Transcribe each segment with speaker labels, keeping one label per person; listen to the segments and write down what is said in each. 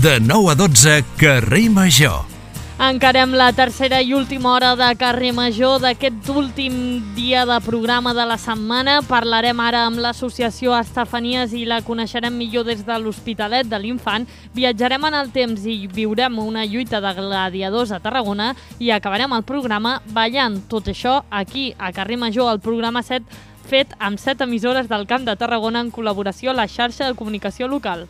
Speaker 1: De 9 a 12, Carrer Major.
Speaker 2: Encarem la tercera i última hora de Carrer Major d'aquest últim dia de programa de la setmana. Parlarem ara amb l'associació Estefanies i la coneixerem millor des de l'Hospitalet de l'Infant. Viatjarem en el temps i viurem una lluita de gladiadors a Tarragona i acabarem el programa ballant. Tot això aquí a Carrer Major, el programa 7, fet amb 7 emissores del Camp de Tarragona en col·laboració a la xarxa de comunicació local.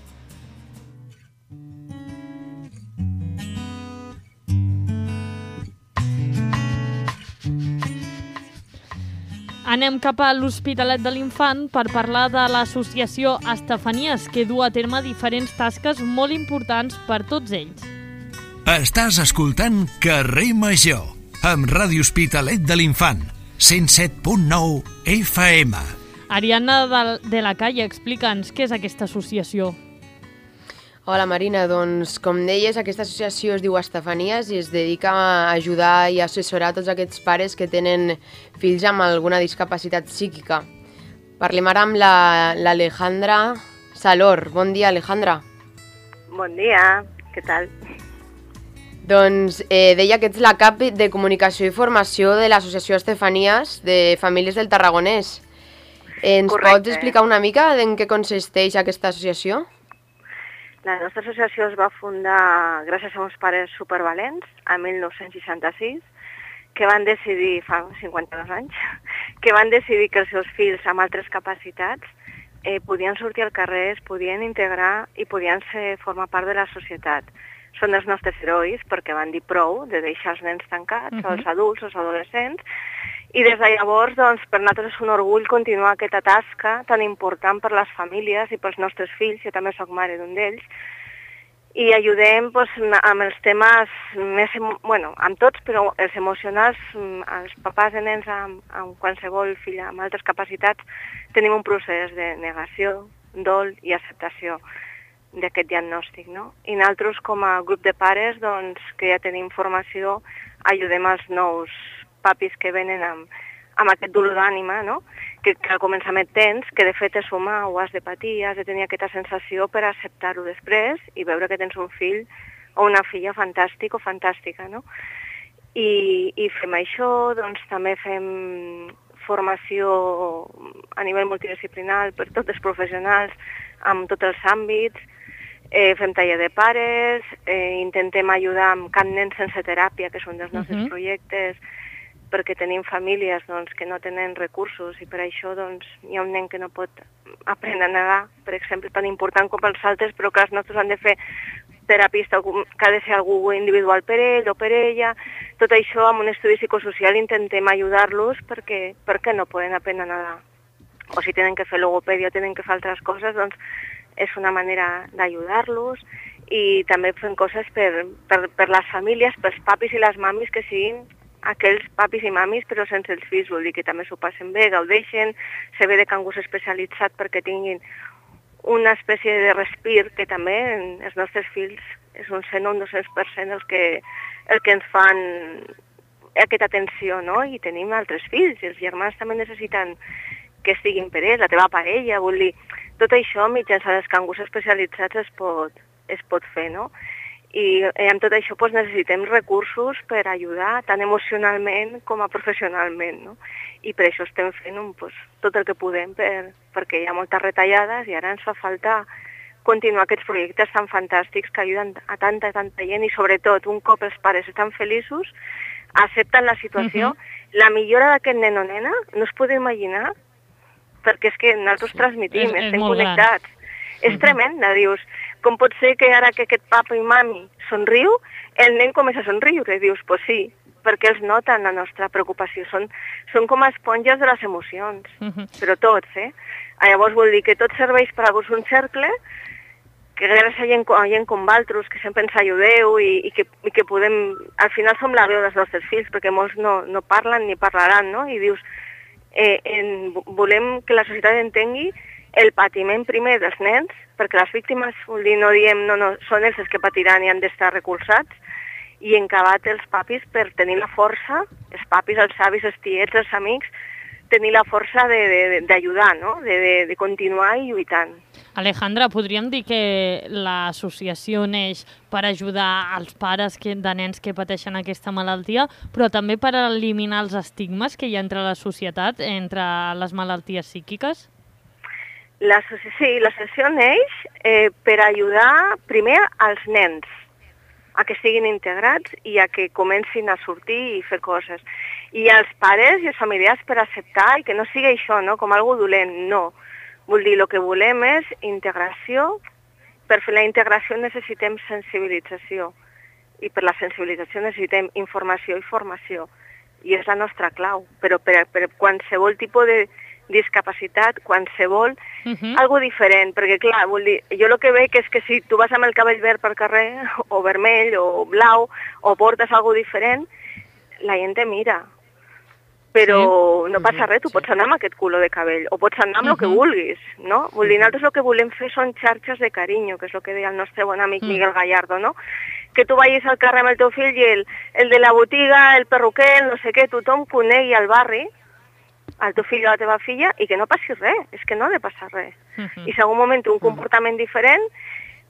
Speaker 2: Anem cap a l'Hospitalet de l'Infant per parlar de l'associació Estefanies, que du a terme diferents tasques molt importants per tots ells.
Speaker 1: Estàs escoltant Carrer Major, amb Ràdio Hospitalet de l'Infant, 107.9 FM.
Speaker 2: Ariadna de la Calle, explica'ns què és aquesta associació.
Speaker 3: Hola Marina, doncs com deies, aquesta associació es diu Estefanies i es dedica a ajudar i assessorar tots aquests pares que tenen fills amb alguna discapacitat psíquica. Parlem ara amb l'Alejandra Salor. Bon dia, Alejandra.
Speaker 4: Bon dia, què tal?
Speaker 3: Doncs deia que ets la cap de comunicació i formació de l'associació Estefanies de Famílies del Tarragonès. Ens pots explicar una mica en què consisteix aquesta associació?
Speaker 4: La nostra associació es va fundar gràcies a uns pares supervalents, a 1966, que van decidir, fa 52 anys, que van decidir que els seus fills amb altres capacitats podien sortir al carrer, es podien integrar i podien formar part de la societat. Són els nostres herois perquè van dir prou de deixar els nens tancats, els adults, els adolescents, i des de llavors, doncs, per nosaltres és un orgull continuar aquesta tasca tan important per les famílies i pels nostres fills, jo també soc mare d'un d'ells, i ajudem amb els temes més, amb tots, però els emocionals, els papàs de nens amb qualsevol fill amb altres capacitats, tenim un procés de negació, dol i acceptació d'aquest diagnòstic, no? I nosaltres, com a grup de pares, doncs, que ja tenim formació, ajudem els nous papis que venen amb aquest dolor d'ànima, no? Que al començament tens, que de fet és humà, ho has de patir, has de tenir aquesta sensació per acceptar-ho després i veure que tens un fill o una filla fantàstic o fantàstica, no? I fem això, doncs també fem formació a nivell multidisciplinar per tots els professionals, amb tots els àmbits, fem taller de pares, intentem ajudar amb Camp Nen Sense Teràpia, que és un dels nostres projectes, perquè tenim famílies que no tenen recursos i per això hi ha un nen que no pot aprendre a nedar, per exemple, tan important com els altres, però que els nostres han de fer terapista, que ha de ser algú individual per ell o per ella. Tot això amb un estudi psicosocial intentem ajudar-los perquè no poden aprendre a nedar. O si tenen que fer logopèdia o tenen que fer altres coses, doncs és una manera d'ajudar-los. I també fem coses per les famílies, pels papis i les mamis que siguin aquells papis i mamis, però sense els fills, vol dir que també s'ho passen bé, gaudeixen, se ve de cangus especialitzat perquè tinguin una espècie de respir, que també els nostres fills és un 100 o un 200% el que ens fan aquesta atenció, no? I tenim altres fills, i els germans també necessiten que estiguin per ells, la teva parella, vol dir, tot això mitjançant els cangus especialitzats es pot fer, no? I amb tot això necessitem recursos per ajudar tant emocionalment com a professionalment, no? I per això estem fent tot el que podem perquè hi ha moltes retallades i ara ens fa falta continuar aquests projectes tan fantàstics que ajuden a tanta gent i sobretot un cop els pares estan feliços, accepten la situació, la millora d'aquest nen o nena no es pot imaginar perquè és que nosaltres transmitim, estem connectats. És tremenda, dius, com pot ser que ara que aquest papa i mami somriu, el nen comença a somriure? Dius, pues sí, perquè els noten la nostra preocupació. Són com esponges de les emocions, però tots, Llavors vol dir que tot serveix per a un cercle, que gràcies a gent com vosaltres, que sempre ens ajudeu i que podem... Al final som la veu dels nostres fills, perquè molts no parlen ni parlaran, no? I dius, volem que la societat entengui el patiment primer dels nens, perquè les víctimes, vol dir, no diem, no, són ells els que patiran i han d'estar recolzats, i en acabat els papis per tenir la força, els papis, els avis, els tiets, els amics, tenir la força d'ajudar, no? De continuar i lluitant.
Speaker 2: Alejandra, podríem dir que l'associació neix per ajudar els pares de nens que pateixen aquesta malaltia, però també per eliminar els estigmes que hi ha entre la societat, entre les malalties psíquiques?
Speaker 4: Sí, l'associació neix per ajudar primer als nens a que siguin integrats i a que comencin a sortir i fer coses. I als pares i als familiars per acceptar i que no sigui això, no? Com algo dolent, no. Vull dir, el que volem és integració. Per fer la integració necessitem sensibilització i per la sensibilització necessitem informació i formació. I és la nostra clau, però per qualsevol tipus de discapacitat, qualsevol, algo diferent, perquè clar, vull dir, jo el que veig és que si tu vas amb el cabell verd pel carrer, o vermell, o blau, o portes algo diferent, la gent te mira. Però no passa res, tu pots anar amb aquest color de cabell, o pots anar amb el que vulguis, no? Vull dir, nosaltres el que volem fer són xarxes de carinyo, que és el que deia el nostre bon amic Miguel Gallardo, no? Que tu vagis al carrer amb el teu fill i el de la botiga, el perruquer, no sé què, tothom conegui al barri, al teu fill o a la teva filla, i que no passi res, és que no ha de passar res. I si en algun moment té un comportament diferent,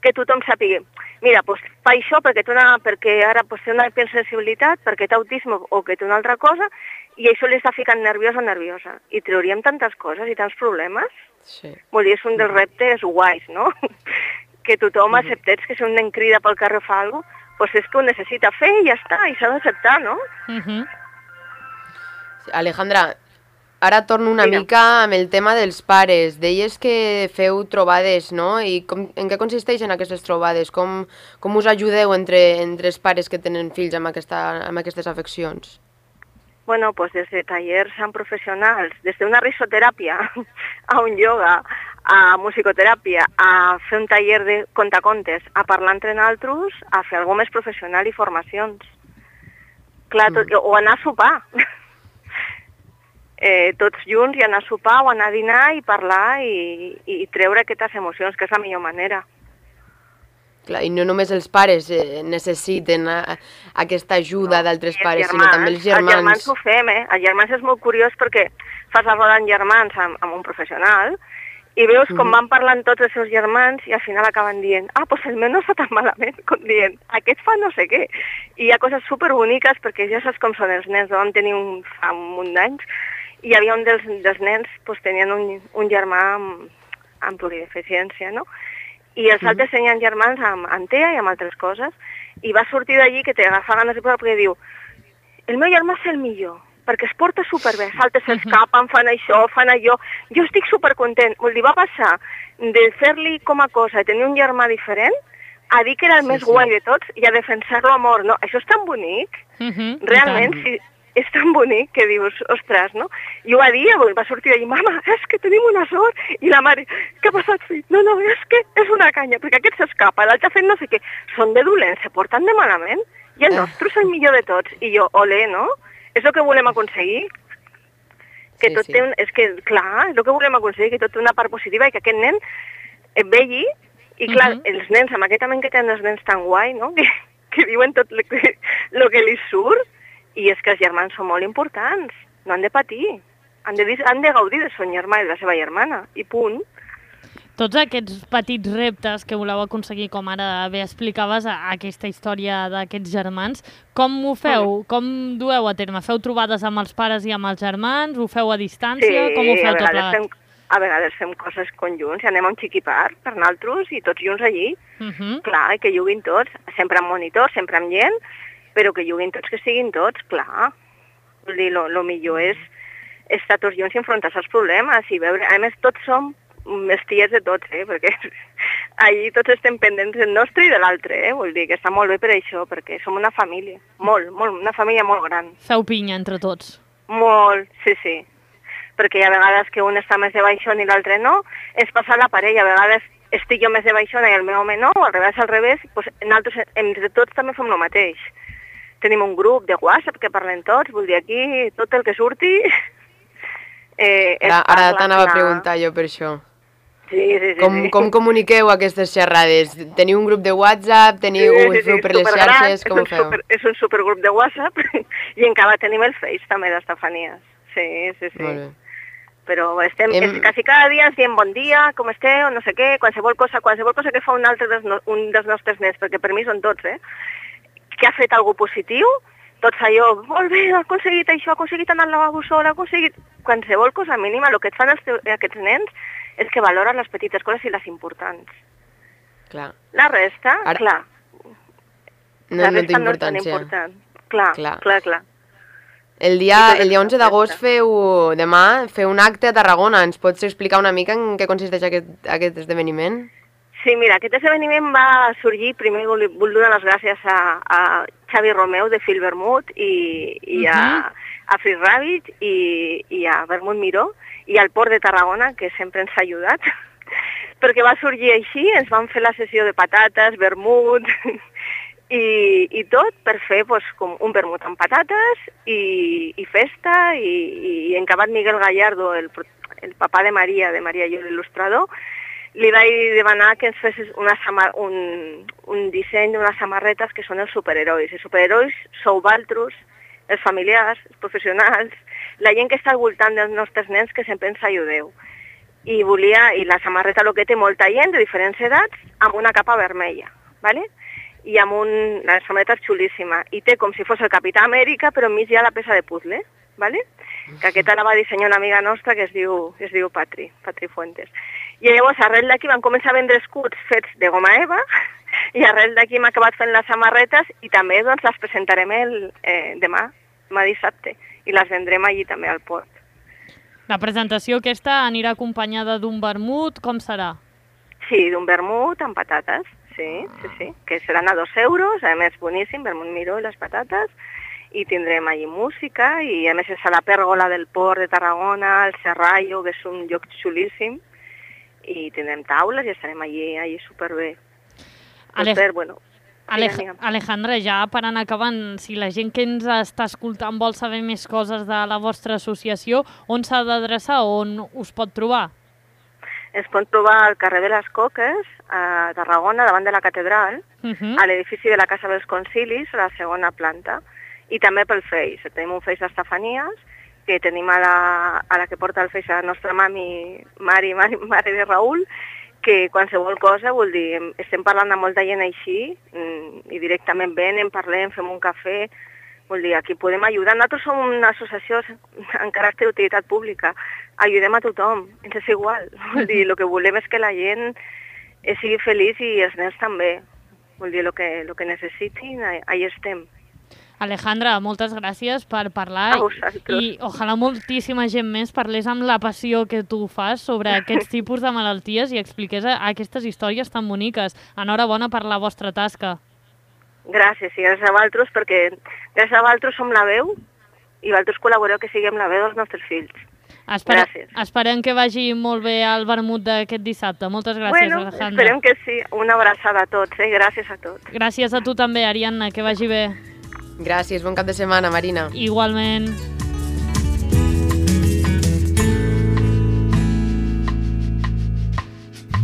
Speaker 4: que tothom sàpiga, mira, doncs fa això perquè ara té una hipersensibilitat, perquè té autisme o que té una altra cosa, i això li està ficant nerviós o nerviosa. I trauríem tantes coses i tants problemes.
Speaker 3: Sí.
Speaker 4: Vull dir, és un dels reptes guais, no? Que tothom acceptés que si un nen crida pel carrer o fa alguna cosa, doncs és que ho necessita fer i ja està, i s'ha d'acceptar, no?
Speaker 3: Alejandra, ara torno una mica amb el tema dels pares. Deies que feu trobades, no? I en què consisteixen aquestes trobades? Com us ajudeu entre els pares que tenen fills amb aquestes afeccions?
Speaker 4: Bueno, pues des de tallers amb professionals, des d'una risoteràpia a un ioga, a musicoteràpia, a fer un taller de contacontes, a parlar entre nosaltres, a fer alguna més professional i formacions. Clar, o anar a sopar. Tots junts i anar a sopar o anar a dinar i parlar i treure aquestes emocions, que és la millor manera.
Speaker 3: Clar, i no només els pares necessiten aquesta ajuda d'altres pares, sinó també els germans.
Speaker 4: Els germans ho fem, Els germans és molt curiós perquè fas la roda amb germans amb un professional i veus com van parlant tots els seus germans i al final acaben dient, doncs el meu no està tan malament, com dient, aquest fa no sé què. I hi ha coses superboniques perquè ja saps com són els nens, vam tenir fa un munt d'anys i hi havia un dels nens, tenien un germà amb plurideficiència, no? I els altres tenien germans amb TEA i amb altres coses, i va sortir d'allí que t'agafa ganes de plorar perquè diu el meu germà és el millor, perquè es porta superbé, salta, s'escapen, fan això, fan allò, jo estic supercontent. Vull dir, va passar de fer-li com a cosa i tenir un germà diferent a dir que era el més guai de tots i a defensar-lo a mort, no? Això és tan bonic, realment, sí. És tan bonic que dius, ostres, no? I ho va dir, va sortir d'allí, mama, és que tenim una sort. I la mare, què ha passat, fill? No, és que és una canya, perquè aquest s'escapa, l'altre ha fet no sé què. Són de dolents, se porten de malament. I el nostre és el millor de tots. I jo, olé, no? És el que volem aconseguir. Que tot té és que, clar, és el que volem aconseguir, que tot té una part positiva i que aquest nen et vegi. I clar, els nens, amb aquest ament que tenen els nens tan guai, no? Que diuen tot el que li surt. I és que els germans són molt importants, no han de patir, han de gaudir de son germà i de la seva germana, i punt.
Speaker 2: Tots aquests petits reptes que voleu aconseguir, com ara bé explicaves, aquesta història d'aquests germans, com ho feu? Com dueu a terme? Feu trobades amb els pares i amb els germans? Ho feu a distància? Com ho feu tot plegat?
Speaker 4: A vegades fem coses conjunts, anem a un xiquipar per nosaltres i tots junts allí. Clar, que juguin tots, sempre amb monitor, sempre amb gent, però que juguin tots, que siguin tots, clar. Vull dir, el millor és estar tots junts i enfrontar-se als problemes i veure... A més, tots som els tiets de tots, perquè allí tots estem pendents del nostre i de l'altre, Vull dir que està molt bé per això, perquè som una família, una família molt gran.
Speaker 2: Feu pinya entre tots.
Speaker 4: Molt, sí. Perquè hi ha vegades que un està més de baixón i l'altre no, és passar la parella, a vegades estic jo més de baixona i el meu home no, o al revés, doncs nosaltres entre tots també fem el mateix. Tenim un grup de WhatsApp que parlem tots, vull dir, aquí tot el que surti...
Speaker 3: Ara t'anava a preguntar jo per això.
Speaker 4: Sí.
Speaker 3: Com comuniqueu aquestes xerrades? Teniu un grup de WhatsApp? Feu per les xarxes? Com ho feu?
Speaker 4: És un supergrup de WhatsApp i encara tenim el Face també d'Estefanies. Sí.
Speaker 3: Molt bé.
Speaker 4: però estem quasi cada dia ens diem bon dia, com esteu, no sé què, qualsevol cosa que fa un dels nostres nens, perquè per mi són tots, que ha fet alguna positiu, tots allò, molt bé, ha aconseguit això, ha aconseguit anar al lavabo sol, ha aconseguit qualsevol cosa mínima, el que et fan aquests nens és que valoren les petites coses i les importants.
Speaker 3: Clar.
Speaker 4: La resta, clar.
Speaker 3: No té importància.
Speaker 4: Clar.
Speaker 3: El dia 11 d'agost demà feu un acte a Tarragona. Ens pots explicar una mica en què consisteix aquest esdeveniment?
Speaker 4: Sí, mira, aquest esdeveniment va sorgir, primer vull donar les gràcies a Xavi Romeu de Phil Vermut i a Free Rabbit i a Vermut Miró i al Port de Tarragona, que sempre ens ha ajudat, perquè va sorgir així, ens van fer la sessió de patates, vermut i tot per fer com un vermut amb patates i festa i en acabat Miguel Gallardo, el papà de Maria i l'il·lustrador, li vaig demanar que ens fes un disseny d'unes samarretes que són els superherois. Els superherois sou vosaltres, els familiars, els professionals, la gent que està al voltant dels nostres nens que sempre ens ajudeu. I la samarreta el que té molta gent de diferents edats amb una capa vermella, ¿vale? I amb la samarreta és xulíssima. I té com si fos el Capità Amèrica, però enmig hi ha la peça de puzzle, ¿vale? Que aquesta la va dissenyar una amiga nostra que es diu Patri Fuentes. I llavors, arrel d'aquí vam començar a vendre escuts fets de goma eva i arrel d'aquí hem acabat fent les samarretes i també les presentarem demà dissabte, i les vendrem allí també al port.
Speaker 2: La presentació aquesta anirà acompanyada d'un vermut, com serà?
Speaker 4: Sí, d'un vermut amb patates, sí, que seran a 2 euros, a més boníssim, vermut Miró i les patates, i tindrem allí música, i a més és a la pèrgola del port de Tarragona, el Serrallo, que és un lloc xulíssim, i tindrem taules i estarem allí superbé.
Speaker 2: Alejandra, ja per anar acabant, si la gent que ens està escoltant vol saber més coses de la vostra associació, on s'ha d'adreçar, on us pot trobar?
Speaker 4: Es pot trobar al carrer de les Coques, a Tarragona, davant de la catedral, a l'edifici de la Casa dels Concilis, a la segona planta, i també pel Face. Tenim un Face d'Estefanies, que tenim a la que porta el Face a la nostra mare de Raül, que qualsevol cosa, vol dir, estem parlant amb molta gent així, i directament venen, parlem, fem un cafè, vol dir, aquí podem ajudar. Nosaltres som una associació en caràcter d'utilitat pública, ajudem a tothom, ens és igual, vol dir, el que volem és que la gent sigui feliç i els nens també, vol dir, el que necessitin, ahí estem.
Speaker 2: Alejandra, moltes gràcies per parlar i ojalà moltíssima gent més parlés amb la passió que tu fas sobre aquests tipus de malalties i expliqués aquestes històries tan boniques. Enhorabona per la vostra tasca.
Speaker 4: Gràcies, i gràcies a vosaltres, perquè gràcies a vosaltres som la veu i vosaltres col·laboreu que siguem la veu dels nostres fills. Gràcies.
Speaker 2: Esperem que vagi molt bé el vermut d'aquest dissabte. Moltes gràcies, Alejandra.
Speaker 4: Esperem que sí. Una abraçada a tots, gràcies a tots.
Speaker 2: Gràcies a tu també, Ariadna, que vagi bé.
Speaker 3: Gràcies, bon cap de setmana, Marina.
Speaker 2: Igualment.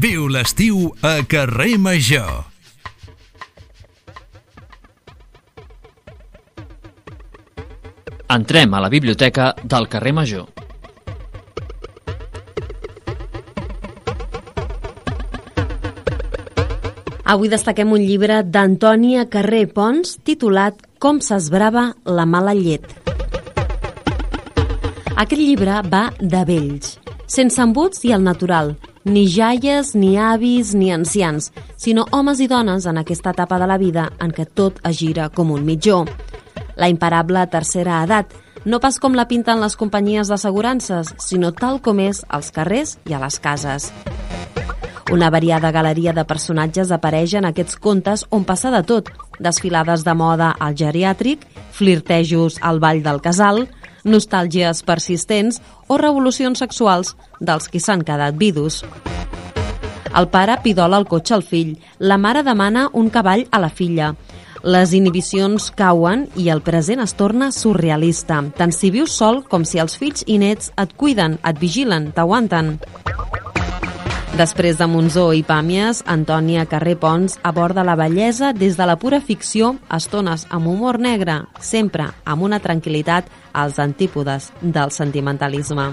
Speaker 1: Viu l'estiu a Carrer Major.
Speaker 5: Entrem a la biblioteca del Carrer Major.
Speaker 6: Avui destaquem un llibre d'Antònia Carré Pons titulat Com s'esbrava la mala llet. Aquest llibre va de vells, sense embuts i al natural, ni jaies, ni avis, ni ancians, sinó homes i dones en aquesta etapa de la vida en què tot es gira com un mitjó. La imparable tercera edat, no pas com la pinten les companyies d'assegurances, sinó tal com és als carrers i a les cases. Una variada galeria de personatges apareix en aquests contes on passa de tot, desfilades de moda al geriàtric, flirtejos al ball del casal, nostàlgies persistents o revolucions sexuals dels qui s'han quedat vidus. El pare pidola el cotxe al fill, la mare demana un cavall a la filla. Les inhibicions cauen i el present es torna surrealista, tant si vius sol com si els fills i nets et cuiden, et vigilen, t'aguanten. Després de Monzó i Pàmies, Antònia Carré Pons aborda la bellesa des de la pura ficció, estones amb humor negre, sempre amb una tranquil·litat als antípodes del sentimentalisme.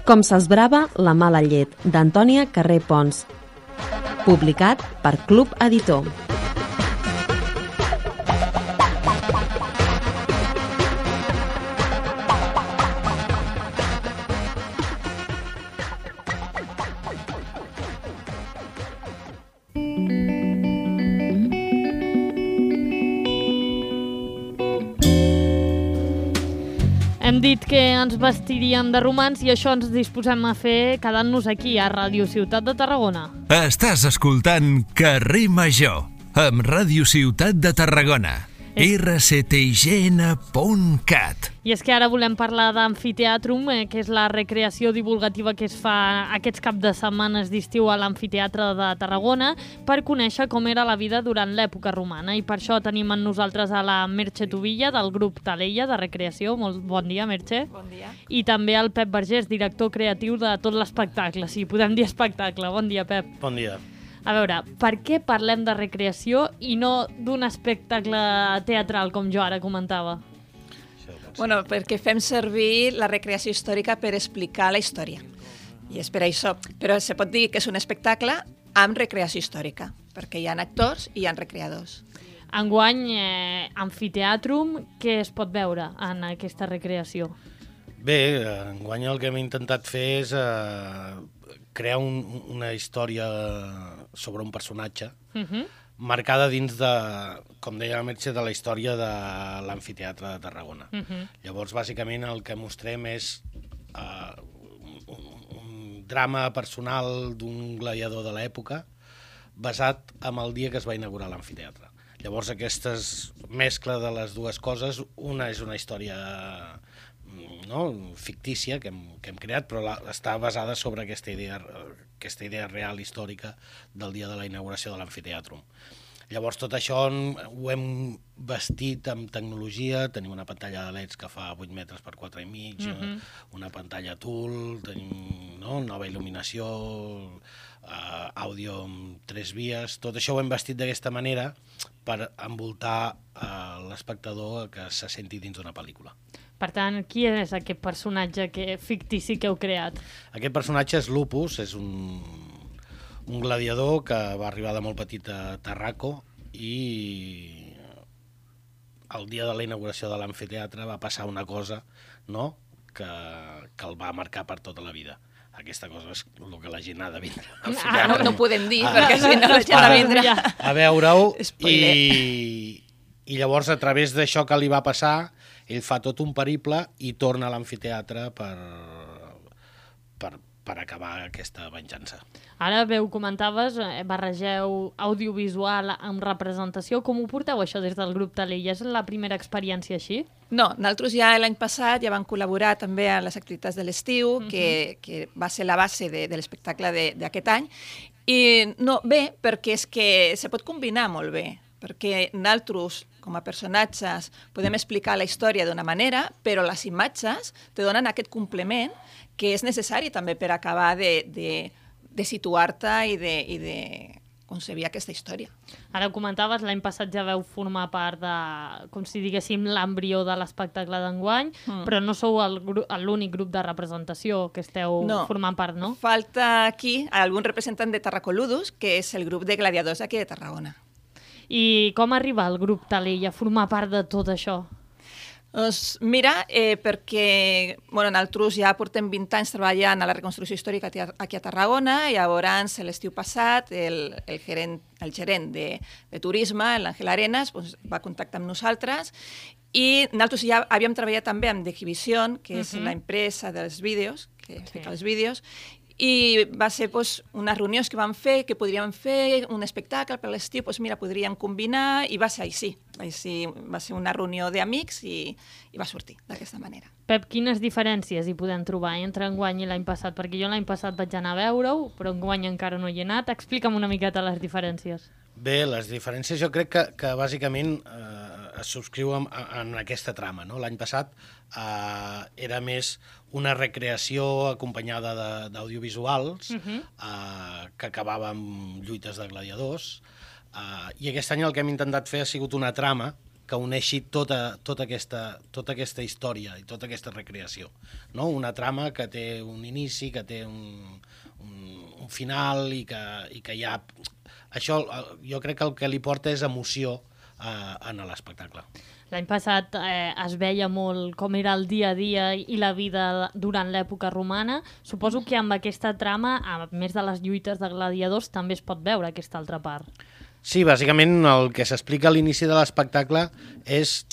Speaker 6: Com s'esbrava la mala llet, d'Antònia Carré Pons. Publicat per Club Editor.
Speaker 2: Hem dit que ens vestiríem de romans i això ens disposem a fer quedant-nos aquí, a Ràdio Ciutat de Tarragona.
Speaker 1: Estàs escoltant Carrer Major, amb Ràdio Ciutat de Tarragona. rctgn.cat.
Speaker 2: I és que ara volem parlar d'Amfiteatrum, que és la recreació divulgativa que es fa aquests caps de setmanes d'estiu a l'Amfiteatre de Tarragona per conèixer com era la vida durant l'època romana. I per això tenim amb nosaltres a la Merche Tubilla, del grup Taleia de Recreació. Molt bon dia, Merche.
Speaker 7: Bon dia.
Speaker 2: I també el Pep Vergés, director creatiu de tot l'espectacle. Sí, podem dir espectacle. Bon dia, Pep.
Speaker 8: Bon dia.
Speaker 2: A veure, per què parlem de recreació i no d'un espectacle teatral, com jo ara comentava?
Speaker 7: Bueno, perquè fem servir la recreació històrica per explicar la història. I és per això. Però se pot dir que és un espectacle amb recreació històrica, perquè hi ha actors i hi ha recreadors.
Speaker 2: Enguany, Amfiteatrum, què es pot veure en aquesta recreació?
Speaker 8: Bé, enguany el que hem intentat fer és crear una història sobre un personatge marcada dins de, com deia la Merche, de la història de l'Amfiteatre de Tarragona. Llavors, bàsicament, el que mostrem és un drama personal d'un gladiador de l'època basat en el dia que es va inaugurar l'amfiteatre. Llavors, aquesta mescla de les dues coses, una és una història fictícia que hem creat, però està basada sobre aquesta idea real històrica del dia de la inauguració de l'Amfiteatrum. Llavors tot això ho hem vestit amb tecnologia, tenim una pantalla de LEDs que fa 8 metres per 4,5, una pantalla TUL, tenim nova il·luminació, àudio amb 3 vies, tot això ho hem vestit d'aquesta manera per envoltar l'espectador que se senti dins d'una pel·lícula.
Speaker 2: Per tant, qui és aquest personatge fictici que heu creat?
Speaker 8: Aquest personatge és Lupus, és un gladiador que va arribar de molt petit a Tarraco i el dia de la inauguració de l'amfiteatre va passar una cosa que el va marcar per tota la vida. Aquesta cosa és el que la gent ha de vindre.
Speaker 7: No ho podem dir, perquè si no la gent ha de vindre
Speaker 8: a veure-ho. I llavors, a través d'això que li va passar, ell fa tot un periple i torna a l'amfiteatre per acabar aquesta venjança.
Speaker 2: Ara, comentaves, barregeu audiovisual amb representació. Com ho porteu, això, des del grup Taleia? És la primera experiència així?
Speaker 7: No, nosaltres ja l'any passat ja vam col·laborar també a les activitats de l'estiu, que va ser la base de l'espectacle d'aquest any. I no, bé, perquè és que se pot combinar molt bé, perquè nosaltres, com a personatges, podem explicar la història d'una manera, però les imatges te donen aquest complement que és necessari també per acabar de situar-te i de concebir aquesta història.
Speaker 2: Ara ho comentaves, l'any passat ja veu formar part de, com si diguéssim, l'embrió de l'espectacle d'enguany, però no sou l'únic grup de representació que esteu formant part, no?
Speaker 7: Falta aquí algun representant de Tarracoludus, que és el grup de gladiadors aquí de Tarragona.
Speaker 2: I com arriba el grup Taleia a formar part de tot això?
Speaker 7: Doncs mira, perquè nosaltres ja portem 20 anys treballant a la reconstrucció històrica aquí a Tarragona, i llavors l'estiu passat el gerent de turisme, l'Àngel Arenas, va contactar amb nosaltres, i nosaltres ja havíem treballat també amb Degivision, que és l'empresa dels vídeos, que fica els vídeos, i va ser unes reunions que vam fer, que podríem fer un espectacle per l'estiu, mira, podríem combinar, i va ser així. Va ser una reunió d'amics i va sortir d'aquesta manera.
Speaker 2: Pep, quines diferències hi podem trobar entre enguany i l'any passat? Perquè jo l'any passat vaig anar a veure-ho, però enguany encara no hi he anat. Explica'm una miqueta les diferències.
Speaker 8: Bé, les diferències jo crec que bàsicament es subscriuen en aquesta trama. L'any passat era més una recreació acompanyada d'audiovisuals que acabava amb lluites de gladiadors, i aquest any el que hem intentat fer ha sigut una trama que uneixi tota aquesta història i tota aquesta recreació. No? Una trama que té un inici, que té un final i que hi ha... Això jo crec que el que li porta és emoció en l'espectacle.
Speaker 2: L'any passat es veia molt com era el dia a dia i la vida durant l'època romana. Suposo que amb aquesta trama, a més de les lluites de gladiadors, també es pot veure aquesta altra part.
Speaker 8: Sí, bàsicament el que s'explica a l'inici de l'espectacle és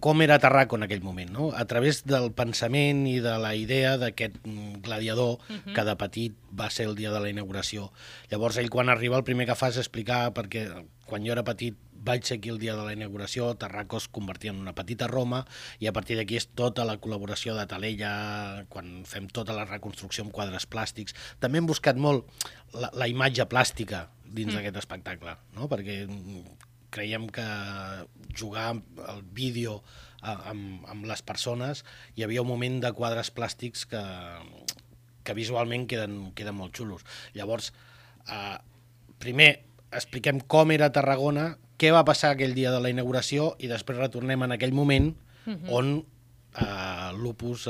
Speaker 8: com era Tarraco en aquell moment, no? A través del pensament i de la idea d'aquest gladiador que de petit va ser el dia de la inauguració. Llavors ell quan arriba el primer que fa és explicar perquè quan jo era petit vaig ser aquí el dia de la inauguració, Tarraco es convertia en una petita Roma i a partir d'aquí és tota la col·laboració de Taleya, quan fem tota la reconstrucció amb quadres plàstics. També hem buscat molt la imatge plàstica dins d'aquest espectacle, no? Perquè creiem que jugar el vídeo amb les persones, hi havia un moment de quadres plàstics que visualment queden molt xulos. Llavors, primer expliquem com era Tarragona, què va passar aquell dia de la inauguració i després retornem en aquell moment on l'Opus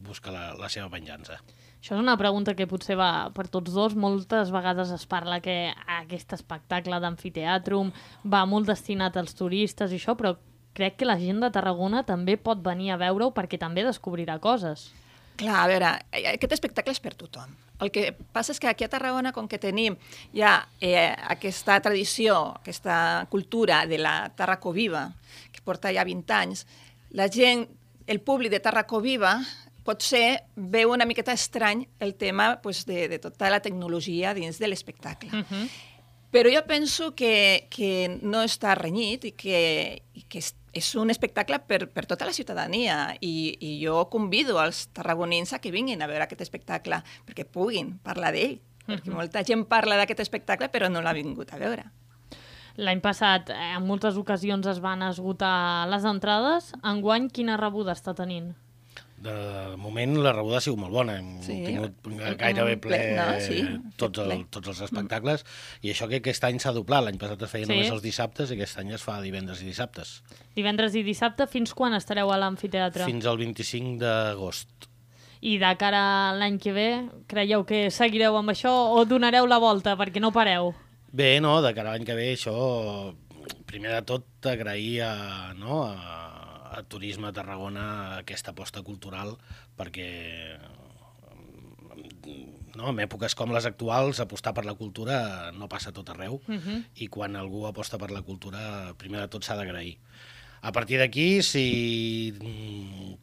Speaker 8: busca la seva venjança.
Speaker 2: Això és una pregunta que potser va per tots dos. Moltes vegades es parla que aquest espectacle d'amfiteàtrum va molt destinat als turistes i això, però crec que la gent de Tarragona també pot venir a veure-ho perquè també descobrirà coses.
Speaker 7: Clar, a veure, aquest espectacle és per tothom. El que passa és que aquí a Tarragona, com que tenim ja aquesta tradició, aquesta cultura de la Tarraco Viva, que porta ja 20 anys, la gent, el públic de Tarraco Viva, potser veu una miqueta estrany el tema de tota la tecnologia dins de l'espectacle. Però jo penso que no està renyit i que és un espectacle per tota la ciutadania i jo convido els tarragonins a que vinguin a veure aquest espectacle perquè puguin parlar d'ell, perquè molta gent parla d'aquest espectacle però no l'ha vingut a veure.
Speaker 2: L'any passat en moltes ocasions es van esgotar les entrades. Enguany, quina rebuda està tenint?
Speaker 8: De moment la rebuda ha sigut molt bona, hem tingut gairebé ple tots els espectacles i això que aquest any s'ha doblat, l'any passat es feia només els dissabtes i aquest any es fa divendres i dissabtes.
Speaker 2: Divendres i dissabte, fins quan estareu a l'amfiteatre?
Speaker 8: Fins al 25 d'agost.
Speaker 2: I de cara a l'any que ve, creieu que seguireu amb això o donareu la volta perquè no pareu?
Speaker 8: Bé, no, de cara a l'any que ve això, primer de tot agrair a Turisme a Tarragona aquesta aposta cultural perquè en èpoques com les actuals apostar per la cultura no passa a tot arreu i quan algú aposta per la cultura primer de tot s'ha d'agrair. A partir d'aquí, si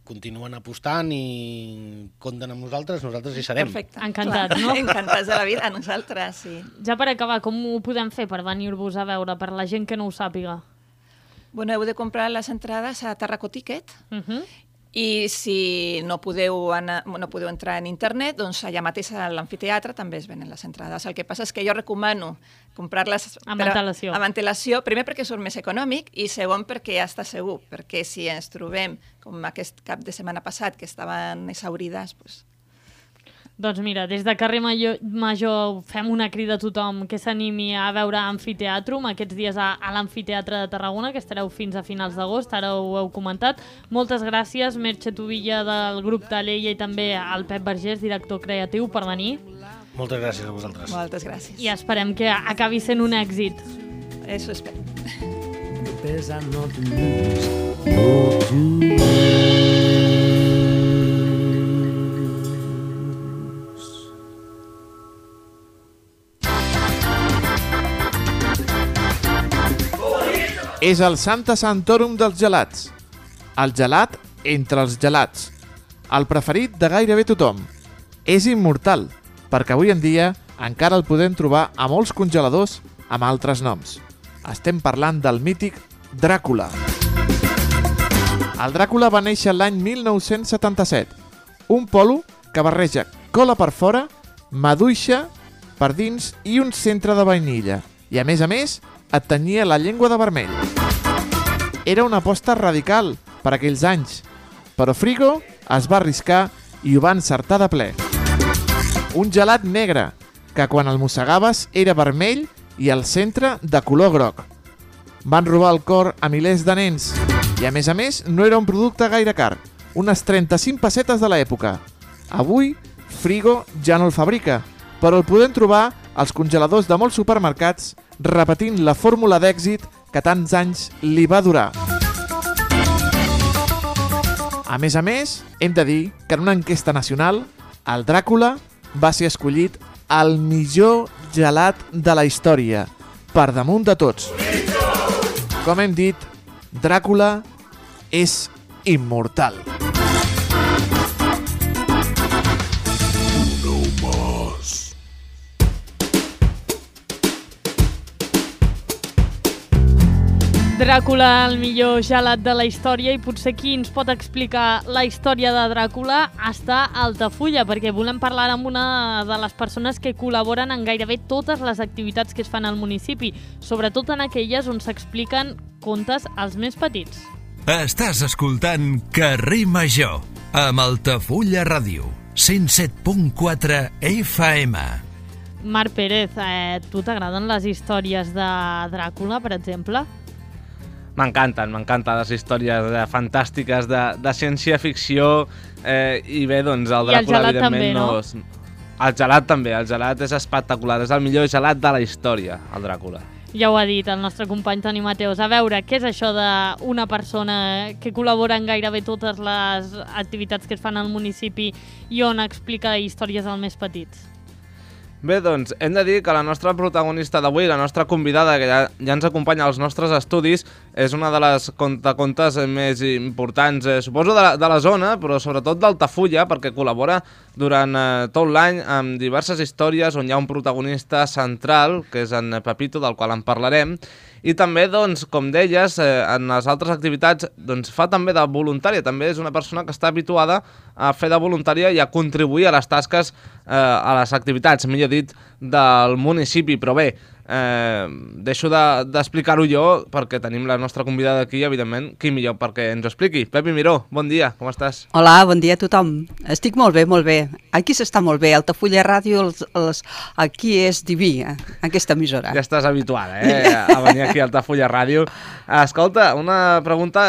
Speaker 8: continuen apostant i compten amb nosaltres hi serem.
Speaker 7: Perfecte.
Speaker 2: Encantats, no?
Speaker 7: Encantats de la vida, a nosaltres, sí.
Speaker 2: Ja per acabar, com ho podem fer per venir-vos a veure, per la gent que no ho sàpiga?
Speaker 7: Bueno, heu de comprar les entrades a Tarraco Ticket i si no podeu entrar en internet, doncs allà mateix a l'amfiteatre també es venen les entrades. El que passa és que jo recomano comprar-les
Speaker 2: amb antelació.
Speaker 7: Primer perquè surt més econòmic i segon perquè ja està segur, perquè si ens trobem com aquest cap de setmana passat que estaven exhaurides, doncs...
Speaker 2: Doncs mira, des de Carrer Major fem una crida a tothom que s'animi a veure Amfiteàtrum aquests dies a l'Amfiteatre de Tarragona, que estareu fins a finals d'agost, ara ho heu comentat. Moltes gràcies, Merche Tubilla del grup Taleya i també al Pep Vergés, director creatiu, per venir.
Speaker 8: Moltes gràcies a vosaltres.
Speaker 7: Moltes gràcies.
Speaker 2: I esperem que acabi sent un èxit.
Speaker 7: Eso espero.
Speaker 9: És el Santa Santorum dels gelats. El gelat entre els gelats. El preferit de gairebé tothom. És immortal, perquè avui en dia encara el podem trobar a molts congeladors amb altres noms. Estem parlant del mític Dràcula. El Dràcula va néixer l'any 1977. Un polo que barreja cola per fora, maduixa per dins i un centre de vainilla. I a més, et tenyia la llengua de vermell. Era una aposta radical per aquells anys, però Frigo es va arriscar i ho va encertar de ple. Un gelat negre, que quan el mossegaves era vermell i al centre de color groc. van robar el cor a milers de nens. I a més no era un producte gaire car, unes 35 pessetes de l'època. Avui, Frigo ja no el fabrica, però el podem trobar als congeladors de molts supermercats repetint la fórmula d'èxit que tants anys li va durar. A més, hem de dir que en una enquesta nacional, el Dràcula va ser escollit el millor gelat de la història, per damunt de tots. Com hem dit, Dràcula és immortal.
Speaker 2: Dràcula, el millor gelat de la història, i potser qui ens pot explicar la història de Dràcula està a Altafulla, perquè volem parlar amb una de les persones que col·laboren en gairebé totes les activitats que es fan al municipi, sobretot en aquelles on s'expliquen contes als més petits.
Speaker 1: Estàs escoltant Carrer Major, amb Altafulla Ràdio, 107.4 FM.
Speaker 2: Marc Pérez, tu t'agraden les històries de Dràcula, per exemple?
Speaker 10: M'encanten les històries fantàstiques de ciència-ficció i bé, doncs el Dràcula evidentment no... El gelat també, el gelat és espectacular, és el millor gelat de la història, el Dràcula.
Speaker 2: Ja ho ha dit el nostre company Toni Mateos. A veure, què és això d'una persona que col·labora en gairebé totes les activitats que es fan al municipi i on explica històries als més petits?
Speaker 10: Bé, doncs, hem de dir que la nostra protagonista d'avui, la nostra convidada, que ja ens acompanya als nostres estudis, és una de les contacontes més importants, suposo, de la zona, però sobretot d'Altafulla, perquè col·labora durant tot l'any amb diverses històries on hi ha un protagonista central, que és en Pepito, del qual en parlarem, i també, doncs, com deies, en les altres activitats doncs, fa també de voluntària, també és una persona que està habituada a fer de voluntària i a contribuir a les tasques, a les activitats, millor dit, del municipi, però bé, deixo d'explicar-ho jo perquè tenim la nostra convidada aquí, evidentment, qui millor perquè ens ho expliqui. Pepi Miró, bon dia, com estàs?
Speaker 11: Hola, bon dia a tothom. Estic molt bé, molt bé. Aquí s'està molt bé, Altafulla Ràdio, aquí és diví, aquesta emissora.
Speaker 10: Ja estàs habituada, a venir aquí a Altafulla Ràdio. Escolta, una pregunta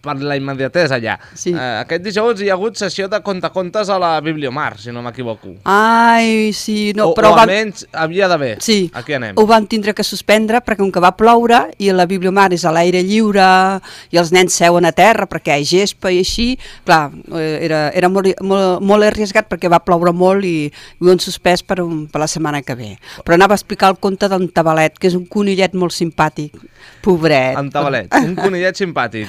Speaker 10: per la immediatesa ja.
Speaker 11: Sí.
Speaker 10: Aquest dijous hi ha hagut sessió de contacontes a la Bibliomar, si no m'equivoco.
Speaker 11: Ai, sí, no,
Speaker 10: però... O almenys havia d'haver.
Speaker 11: Sí,
Speaker 10: aquí anem.
Speaker 11: Ho vam tindre que suspendre perquè com que va ploure i la Bibliomar és a l'aire lliure i els nens seuen a terra perquè hi ha gespa i així, clar, era molt arriesgat perquè va ploure molt i ho han suspès per la setmana que ve. Però anava a explicar el conte d'en Tabalet, que és un conillet molt simpàtic, pobret.
Speaker 10: En Tabalet, un conillet simpàtic.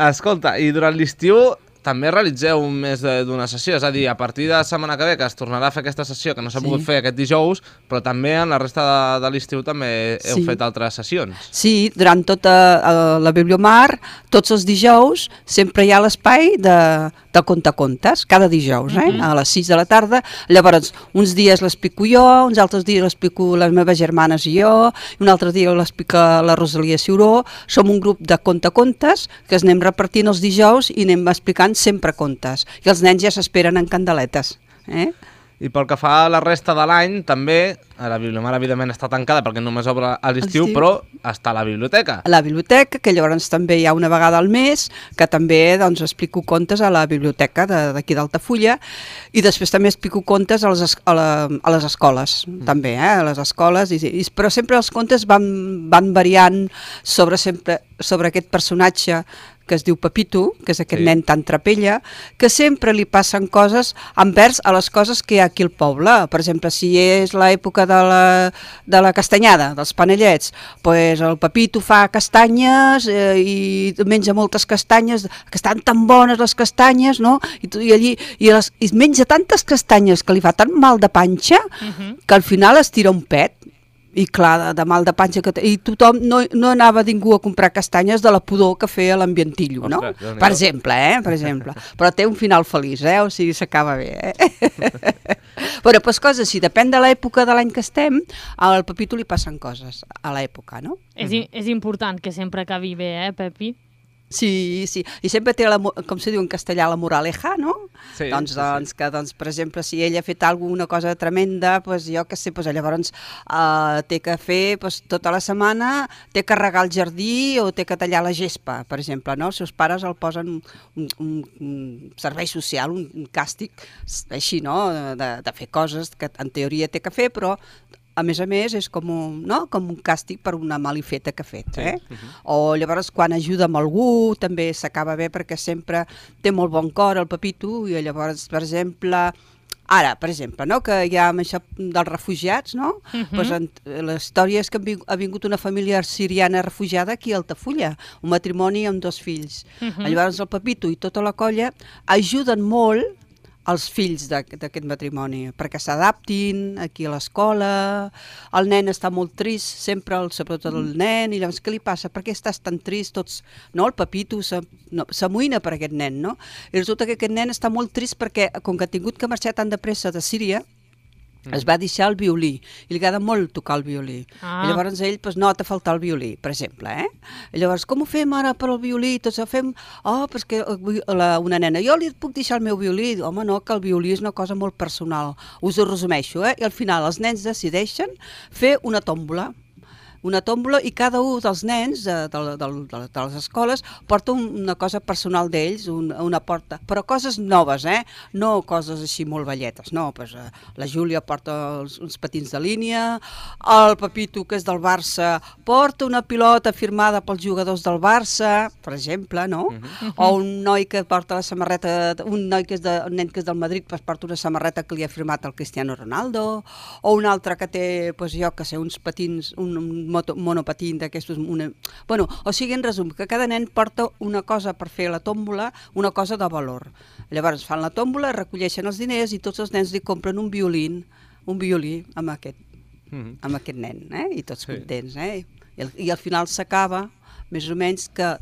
Speaker 10: Escolta, i durant l'estiu també realitzeu més d'una sessió, és a dir, a partir de la setmana que ve, que es tornarà a fer aquesta sessió, que no s'ha pogut fer aquest dijous, però també en la resta de l'estiu també heu fet altres sessions.
Speaker 11: Sí, durant tota la Bibliomar, tots els dijous, sempre hi ha l'espai de contacontes, cada dijous, a les 6 de la tarda. Llavors, uns dies l'explico jo, uns altres dies l'explico les meves germanes i jo, i un altre dia l'explica la Rosalia Ciuró. Som un grup de contacontes que es anem repartint els dijous i anem explicant sempre contes. I els nens ja s'esperen en candeletes.
Speaker 10: I pel que fa a la resta de l'any, també, la Bibliomar evidentment està tancada perquè només obre a l'estiu, però està a la biblioteca.
Speaker 11: A la biblioteca, que llavors també hi ha una vegada al mes, que també doncs, explico contes a la biblioteca d'aquí d'Altafulla, i després també explico contes a les escoles, també, a les escoles, però sempre els contes van variant sobre aquest personatge que es diu Pepito, que és aquest nen tan trapella, que sempre li passen coses envers a les coses que hi ha aquí al poble. Per exemple, si és l'època de la castanyada, dels panellets, doncs el Pepito fa castanyes i menja moltes castanyes, que estan tan bones les castanyes, no? I menja tantes castanyes que li fa tan mal de panxa que al final es tira un pet. I clar, de mal de panxa que té. I tothom, no anava ningú a comprar castanyes de la pudor que feia l'ambientillo, no? Per exemple, per exemple. Però té un final feliç, o sigui, s'acaba bé, Però doncs coses així, depèn de l'època de l'any que estem, al Pepito li passen coses a l'època, no?
Speaker 2: És important que sempre acabi bé, Pepi?
Speaker 11: Sí, sí, i sempre té, com se diu en castellà, la moraleja, no?
Speaker 10: Sí,
Speaker 11: doncs,
Speaker 10: sí.
Speaker 11: Que, per exemple, si ella ha fet alguna cosa tremenda, doncs jo què sé, doncs llavors té que fer, doncs, tota la setmana, té que regar el jardí o té que tallar la gespa, per exemple, no? Els seus pares el posen un servei social, un càstig, així, no?, de fer coses que en teoria té que fer, però a més, és com un càstig per una malifeta que ha fet. O llavors, quan ajuda amb algú, també s'acaba bé perquè sempre té molt bon cor el Pepito, i llavors, per exemple, no? Que hi ha això dels refugiats, no? Pues, la història és que ha vingut una família siriana refugiada aquí a Altafulla, un matrimoni amb 2 fills. Llavors el Pepito i tota la colla ajuden molt els fills d'aquest matrimoni, perquè s'adaptin aquí a l'escola. El nen està molt trist, sempre, sobretot el nen, i llavors què li passa? Per què estàs tan trist? Tots, no? El Pepito s'amoïna per aquest nen, no? I resulta que aquest nen està molt trist perquè, com que ha tingut que marxar tan de pressa de Síria, es va deixar el violí, i li agrada molt tocar el violí. I llavors ell nota faltar el violí, per exemple. I llavors, com ho fem ara per al violí? Tots ho fem, perquè una nena, jo li puc deixar el meu violí? Home, no, que el violí és una cosa molt personal. Us ho resumeixo, i al final els nens decideixen fer una tòmbola, i cada un dels nens de les escoles porta una cosa personal d'ells, una porta, però coses noves, no coses així molt velletes, no, la Júlia porta uns patins de línia, el Pepito, que és del Barça, porta una pilota firmada pels jugadors del Barça, per exemple, no? O un noi que porta la samarreta, un nen que és del Madrid, porta una samarreta que li ha firmat el Cristiano Ronaldo, o un altre que té, jo que sé, uns patins, un monopatín d'aquestos... Bueno, o sigui, en resum, que cada nen porta una cosa per fer la tòmbola, una cosa de valor. Llavors fan la tòmbola, recolleixen els diners i tots els nens li compren un violí amb aquest nen, i tots contents. I al final s'acaba, més o menys, que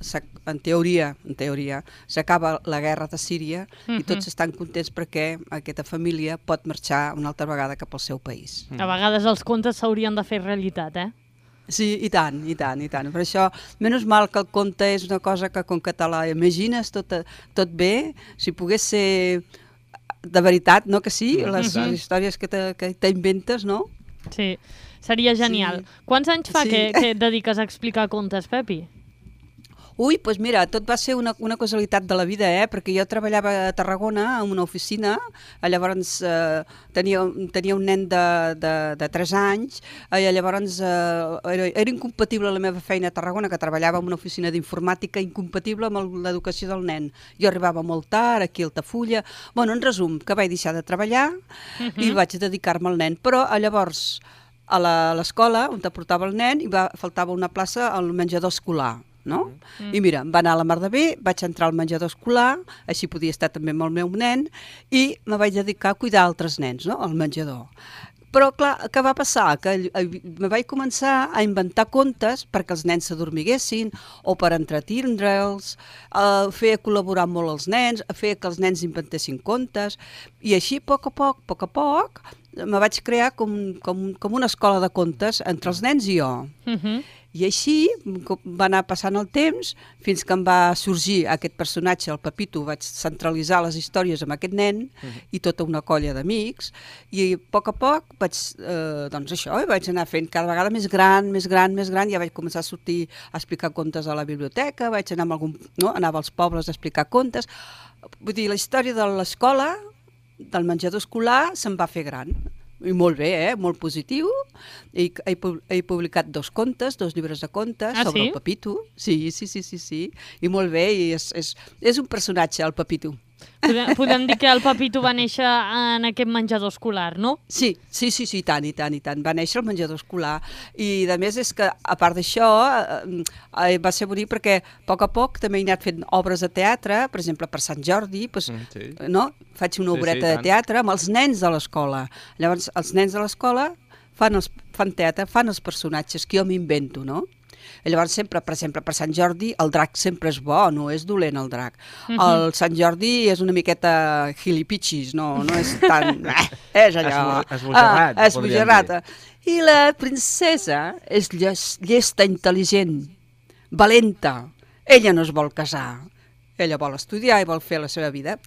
Speaker 11: en teoria s'acaba la guerra de Síria i tots estan contents perquè aquesta família pot marxar una altra vegada cap al seu país.
Speaker 2: A vegades els contes s'haurien de fer realitat,
Speaker 11: Sí, i tant. Per això, menys mal que el conte és una cosa que com que te la imagines tot bé, si pogués ser de veritat, no que sí, les històries que t'inventes, no?
Speaker 2: Sí, seria genial. Quants anys fa que et dediques a explicar contes, Pepi?
Speaker 11: Ui, doncs mira, tot va ser una casualitat de la vida, perquè jo treballava a Tarragona en una oficina, llavors tenia un nen de 3 anys, llavors era incompatible la meva feina a Tarragona, que treballava en una oficina d'informàtica, incompatible amb l'educació del nen. Jo arribava molt tard, aquí a Altafulla, bueno, en resum, que vaig deixar de treballar i vaig dedicar-me al nen, però llavors a l'escola on te portava el nen faltava una plaça al menjador escolar. No? I mira, em va anar a la mar de bé, vaig entrar al menjador escolar, així podia estar també amb el meu nen, i me vaig dedicar a cuidar altres nens, no?, al menjador. Però, clar, què va passar? Que me vaig començar a inventar contes perquè els nens s'adormiguessin o per entretindre'ls, a fer col·laborar molt els nens, a fer que els nens inventessin contes, i així, a poc a poc, me vaig crear com una escola de contes entre els nens i jo. I així va anar passant el temps fins que em va sorgir aquest personatge, el Pepito. Vaig centralitzar les històries amb aquest nen i tota una colla d'amics, i a poc vaig anar fent cada vegada més gran, ja vaig començar a sortir a explicar contes a la biblioteca, vaig anar anava als pobles a explicar contes. Vull dir, la història de l'escola, del menjador escolar, se'n va fer gran. I molt bé, molt positiu. He publicat 2 contes, 2 llibres de contes sobre el Pepito. Sí. I molt bé, i és un personatge, el Pepito.
Speaker 2: Podem dir que el Pepito va néixer en aquest menjador escolar, no?
Speaker 11: Sí, i tant. Va néixer al menjador escolar. I, a més, és que, a part d'això, va ser bonic perquè, a poc, també he anat fent obres de teatre, per exemple, per Sant Jordi, no? Faig una obreta de teatre amb els nens de l'escola. Llavors, els nens de l'escola fan teatre, fan els personatges que jo m'invento, no? I llavors sempre, per exemple, per Sant Jordi, el drac sempre és bo, no és dolent el drac. El Sant Jordi és una miqueta gilipitxis, no és tan... És allò... Esbojarrat. I la princesa és llesta, intel·ligent, valenta, ella no es vol casar, ella vol estudiar i vol fer la seva vida.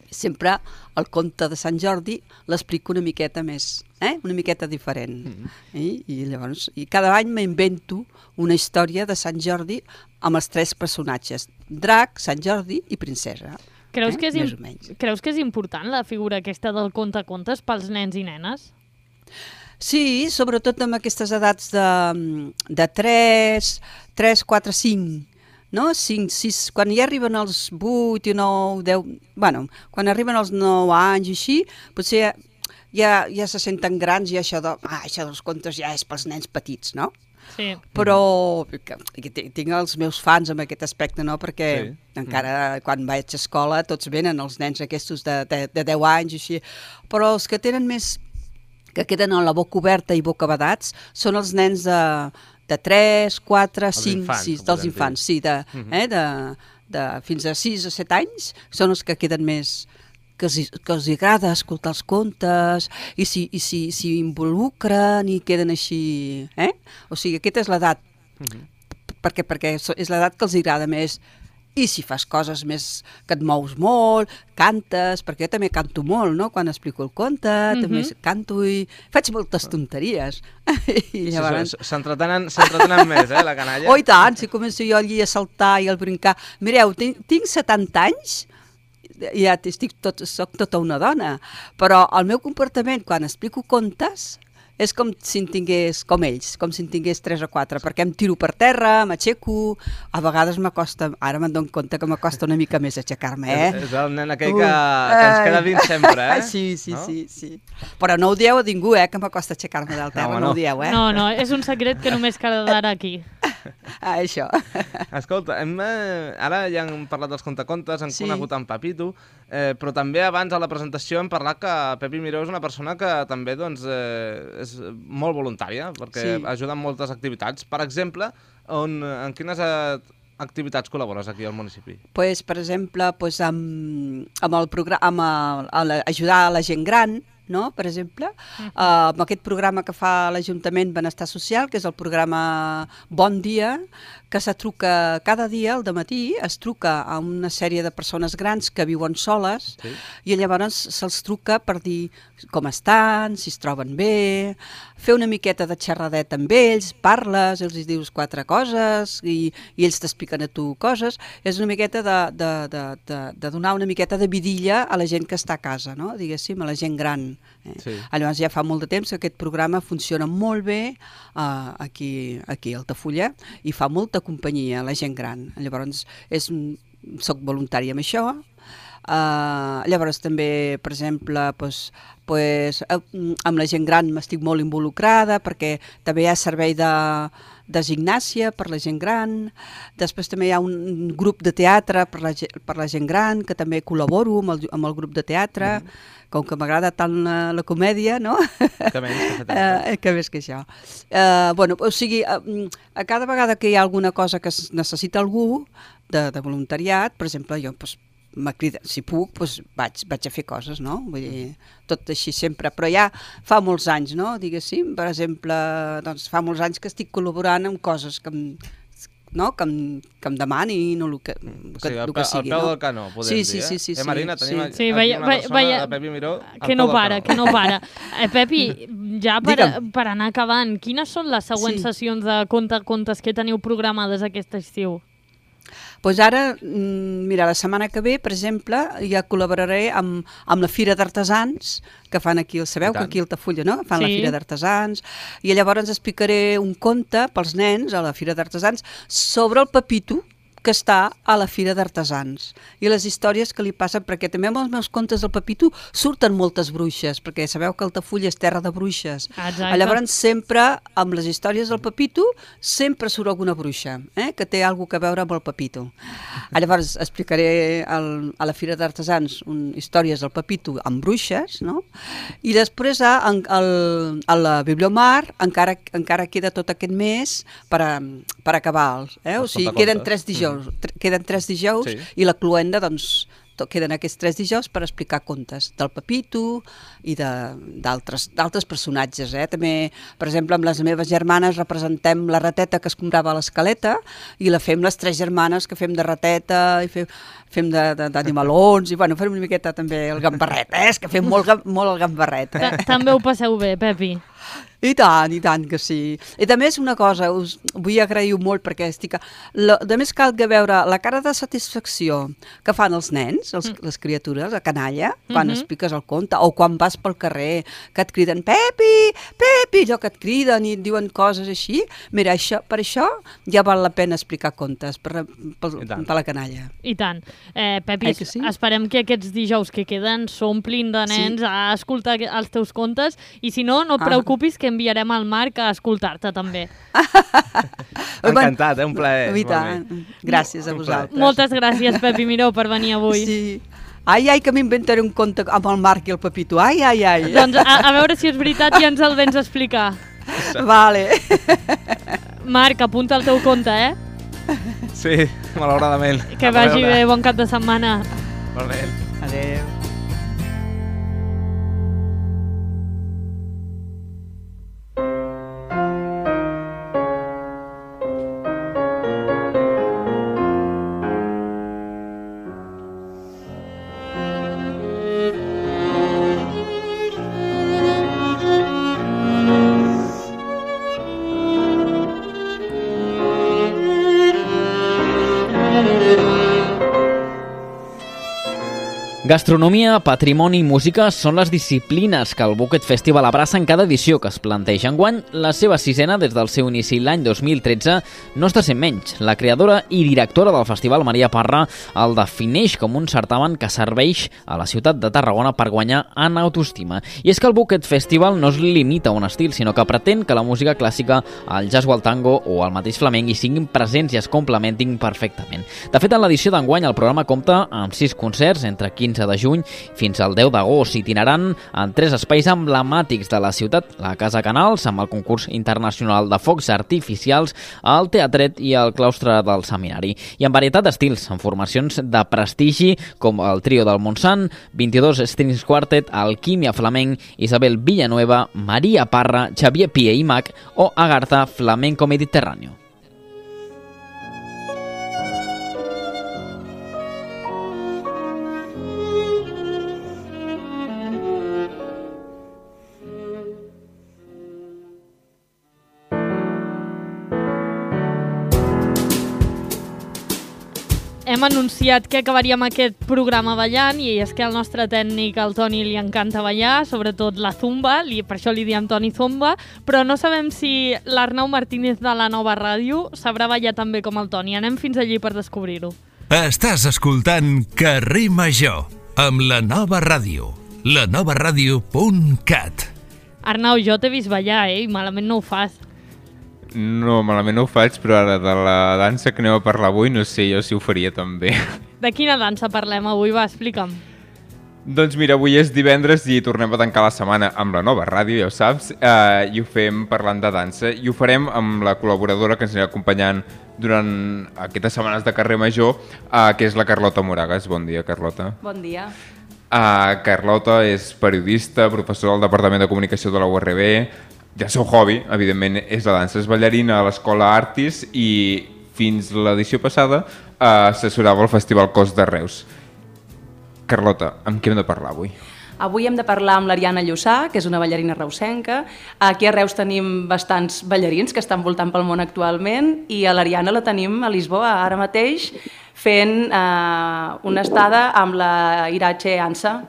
Speaker 11: Sempre el conte de Sant Jordi l'explico una miqueta més, una miqueta diferent. I llavors, cada any m'invento una història de Sant Jordi amb els 3 personatges, drac, Sant Jordi i princesa.
Speaker 2: Creus que és important la figura aquesta del contacontes pels nens i nenes?
Speaker 11: Sí, sobretot amb aquestes edats de 3, 4, 5, no? 5, 6, quan ja arriben els 8 i 9, 10... Bueno, quan arriben els 9 anys i així, potser ja se senten grans i això dels contes ja és pels nens petits, no?
Speaker 2: Sí.
Speaker 11: Però tinc els meus fans en aquest aspecte, no? Perquè encara quan vaig a escola tots venen els nens aquests de 10 anys i així, però els que tenen més, que queden a la boca oberta i boca badats, són els nens de 3, 4, 5, 6, dels infants, sí, fins a 6 o 7 anys, són els que queden més, que els agrada escoltar els contes i s'hi involucren i queden així, O sigui, aquesta és l'edat, perquè és l'edat que els agrada més. I si fas coses més que et mous molt, cantes, perquè jo també canto molt, no?, quan explico el conte, també canto i faig moltes tonteries. I llavors...
Speaker 10: S'entretenen més, la canalla?
Speaker 11: Oh, i tant, si començo jo allí a saltar i a brincar. Mireu, tinc 70 anys, ja soc tota una dona, però el meu comportament quan explico contes és com si en tingués, com ells, com si en tingués 3 o 4, perquè em tiro per terra, m'aixeco, a vegades m'acosta, ara me'n dono compte que m'acosta una mica més aixecar-me,
Speaker 10: És el nen aquell que ens queda dins sempre,
Speaker 11: Sí. Però no ho dieu a ningú, que m'acosta aixecar-me del terra, no ho dieu,
Speaker 2: No, és un secret que només quedarà aquí.
Speaker 11: Això.
Speaker 10: Escolta, ara ja hem parlat dels contacontes, hem conegut en Pepito, però també abans a la presentació hem parlat que Pepi Miró és una persona que també és molt voluntària, perquè ajuda en moltes activitats. Per exemple, en quines activitats col·labores aquí al municipi?
Speaker 11: Pues, per exemple, amb el programa, ajudar a la gent gran, no? Per exemple, amb aquest programa que fa l'Ajuntament Benestar Social, que és el programa Bon Dia, que se truca cada dia, al dematí, es truca a una sèrie de persones grans que viuen soles i llavors se'ls truca per dir com estan, si es troben bé, fer una miqueta de xerradet amb ells, parles, els dius 4 coses i ells t'expliquen a tu coses. És una miqueta de donar una miqueta de vidilla a la gent que està a casa, no? Diguéssim, a la gent gran. Llavors ja fa molt de temps que aquest programa funciona molt bé aquí a Altafulla i fa molta companyia a la gent gran. Llavors soc voluntària amb això. Llavors també, per exemple, amb la gent gran m'estic molt involucrada perquè també hi ha servei de gimnàsia per la gent gran. Després també hi ha un grup de teatre per la gent gran que també col·laboro amb el grup de teatre. Com que m'agrada tant la comèdia, no? Que més que això. O sigui, a cada vegada que hi ha alguna cosa que es necessita algú de voluntariat, per exemple, jo me crida, si puc, vaig a fer coses, no? Vull dir, tot així sempre, però ja fa molts anys, no? Diguéssim, per exemple, doncs fa molts anys que estic col·laborant amb coses que em demani el que sigui.
Speaker 10: Al peu del canó, podem dir,
Speaker 11: Sí.
Speaker 10: Marina, tenim aquí una persona de Pepi Miró
Speaker 2: que no para. Pepi, ja per anar acabant, quines són les següents sessions de contes que teniu programades aquest estiu?
Speaker 11: Doncs ara, mira, la setmana que ve, per exemple, ja col·laboraré amb la Fira d'Artesans, que fan aquí, sabeu que aquí a Altafulla, no? Fan la Fira d'Artesans, i llavors explicaré un conte pels nens a la Fira d'Artesans sobre el Pepito, que està a la Fira d'Artesans i les històries que li passen, perquè també amb els meus contes del Pepito surten moltes bruixes, perquè sabeu que Altafulla és terra de bruixes. Llavors sempre, amb les històries del Pepito, sempre surt alguna bruixa, que té alguna cosa a veure amb el Pepito. Llavors explicaré a la Fira d'Artesans històries del Pepito amb bruixes, no? I després a la Bibliomar encara queda tot aquest mes per acabar-los. O sigui, queden 3 dijous. I la cloenda, doncs, queden aquests 3 dijous per explicar contes del Pepito i d'altres personatges. També, per exemple, amb les meves germanes representem la rateta que es comprava a l'escaleta i la fem les 3 germanes que fem de rateta i fem d'animalons i fem una miqueta també el gambarret, és que fem molt el gambarret.
Speaker 2: També ho passeu bé, Pepi.
Speaker 11: I tant que sí. I també és una cosa, us vull agrair molt perquè a més cal que veure la cara de satisfacció que fan els nens, les criatures, a canalla, quan expliques el conte, o quan vas pel carrer, que et criden Pepi, Pepi, allò que et criden i et diuen coses així. Mira, per això ja val la pena explicar contes per la canalla.
Speaker 2: I tant. Pepi, esperem que aquests dijous que queden s'omplin de nens a escoltar els teus contes i si no et preocupis que enviarem al Marc a escoltar-te també.
Speaker 10: Encantat, un plaer.
Speaker 11: I tant. Gràcies a vosaltres.
Speaker 2: Moltes gràcies, Pepi Miró, per venir avui.
Speaker 11: Sí. Ai, que m'inventaré un conte amb el Marc i el Pepito. Ai.
Speaker 2: Doncs a veure si és veritat i ens el vens a explicar.
Speaker 11: Vale.
Speaker 2: Marc, apunta el teu conte,
Speaker 10: Sí, malauradament.
Speaker 2: Que vagi bé, bon cap de setmana.
Speaker 10: Molt bé.
Speaker 11: Adéu.
Speaker 5: Gastronomia, patrimoni i música són les disciplines que el Bucket Festival abraça en cada edició que es planteja. Enguany, la seva 6ena des del seu inici l'any 2013 no està sent menys. La creadora i directora del festival, Maria Parra, el defineix com un certamen que serveix a la ciutat de Tarragona per guanyar en autoestima. I és que el Bucket Festival no es limita a un estil, sinó que pretén que la música clàssica, el jazz o el tango o el mateix flamenc hi siguin presents i es complementin perfectament. De fet, en l'edició d'enguany el programa compta amb 6 concerts entre 15 de juny fins al 10 d'agost, itinerant en 3 espais emblemàtics de la ciutat, la Casa Canals, amb el concurs internacional de focs artificials, el Teatret i el claustre del Seminari. I en varietat d'estils, amb formacions de prestigi com el Trio del Montsant, 22 Strings Quartet, Alquímia Flamenc, Isabel Villanueva, Maria Parra, Xavier Pie i Mac o Agartha Flamenco Mediterráneo.
Speaker 2: Hem anunciat que acabaríem aquest programa ballant i és que al nostre tècnic, al Toni, li encanta ballar, sobretot la zumba, per això li diem Toni Zumba, però no sabem si l'Arnau Martínez de la Nova Ràdio sabrà ballar tan bé com el Toni. Anem fins allí per descobrir-ho.
Speaker 1: Estàs escoltant Carrer Major amb la Nova Ràdio, lanovaradio.cat.
Speaker 2: Arnau, jo t'he vist ballar, i malament no ho fas.
Speaker 12: No, malament no ho faig, però ara de la dansa que aneu a parlar avui no sé jo si ho faria també.
Speaker 2: De quina dansa parlem avui? Va, explica'm.
Speaker 12: Doncs mira, avui és divendres i tornem a tancar la setmana amb la Nova Ràdio, ja ho saps, i ho fem parlant de dansa i ho farem amb la col·laboradora que ens anirà acompanyant durant aquestes setmanes de Carrer Major, que és la Carlota Moragas. Bon dia, Carlota.
Speaker 13: Bon dia.
Speaker 12: Carlota és periodista, professora del Departament de Comunicació de la URB. El seu hobby, evidentment, és la dansa. És ballarina a l'Escola Artis i fins l'edició passada assessorava el Festival Cos de Reus. Carlota, amb què hem de parlar avui?
Speaker 13: Avui hem de parlar amb l'Ariana Llussà, que és una ballarina reusenca. Aquí a Reus tenim bastants ballarins que estan voltant pel món actualment i a l'Ariana la tenim a Lisboa ara mateix fent una estada amb la Irache Ansa,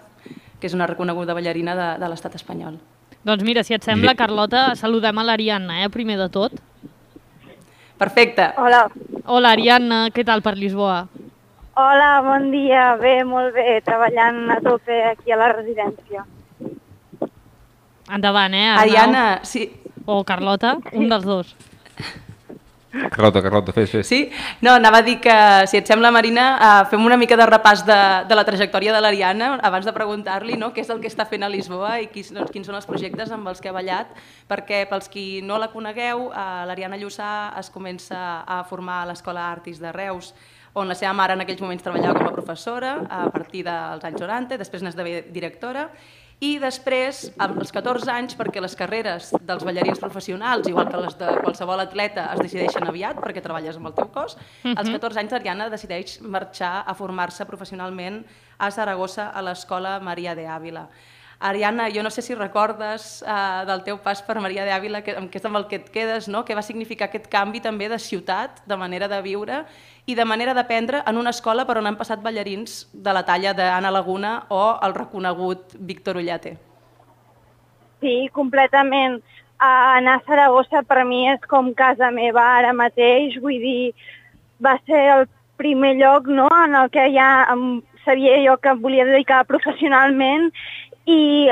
Speaker 13: que és una reconeguda ballarina de l'estat espanyol.
Speaker 2: Doncs mira, si et sembla, Carlota, saludem a l'Ariadna, primer de tot.
Speaker 13: Perfecte.
Speaker 4: Hola.
Speaker 2: Hola, Ariadna, què tal per Lisboa?
Speaker 4: Hola, bon dia. Bé, molt bé, treballant a tope aquí a la residència.
Speaker 2: Endavant, Arnau?
Speaker 13: Ariadna, sí.
Speaker 2: O Carlota, un dels dos.
Speaker 12: Carlota, fes.
Speaker 13: Sí? No, anava a dir que, si et sembla, Marina, fem una mica de repàs de la trajectòria de l'Ariana abans de preguntar-li què és el que està fent a Lisboa i quins són els projectes amb els que ha ballat, perquè pels qui no la conegueu, l'Ariana Llussà es comença a formar a l'Escola Artis de Reus, on la seva mare en aquells moments treballava com a professora a partir dels anys 90, després n'esdevé directora, i després, als 14 anys, perquè les carreres dels ballarins professionals, igual que les de qualsevol atleta, es decideixen aviat perquè treballes amb el teu cos, als 14 anys l'Ariana decideix marxar a formar-se professionalment a Saragossa a l'Escola Maria de Ávila. Ariana, jo no sé si recordes del teu pas per Maria de Ávila, que és amb el que et quedes, no? Què va significar aquest canvi també de ciutat, de manera de viure i de manera d'aprendre en una escola per on han passat ballarins de la talla d'Anna Laguna o el reconegut Víctor Ullate?
Speaker 14: Sí, completament. Anar a Saragossa per mi és com casa meva ara mateix, vull dir, va ser el primer lloc, no?, en el que ja sabia jo que em volia dedicar professionalment, i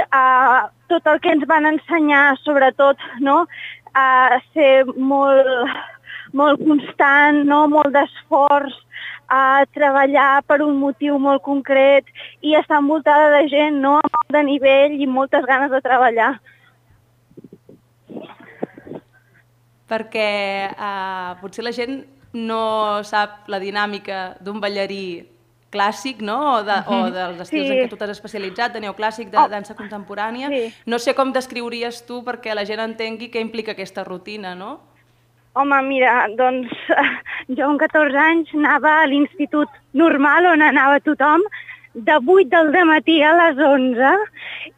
Speaker 14: tot el que ens van ensenyar, sobretot, no?, a ser molt constant, no?, molt d'esforç, a treballar per un motiu molt concret i estar envoltada de gent, no?, amb molt de nivell i moltes ganes de treballar.
Speaker 13: Perquè potser la gent no sap la dinàmica d'un ballarí clàssic, no? O dels estils en què tu t'has especialitzat, de neoclàssic, de dansa contemporània. No sé com descriuries tu perquè la gent entengui què implica aquesta rutina, no?
Speaker 14: Home, mira, doncs jo amb 14 anys anava a l'institut normal on anava tothom, de 8 del dematí a les 11,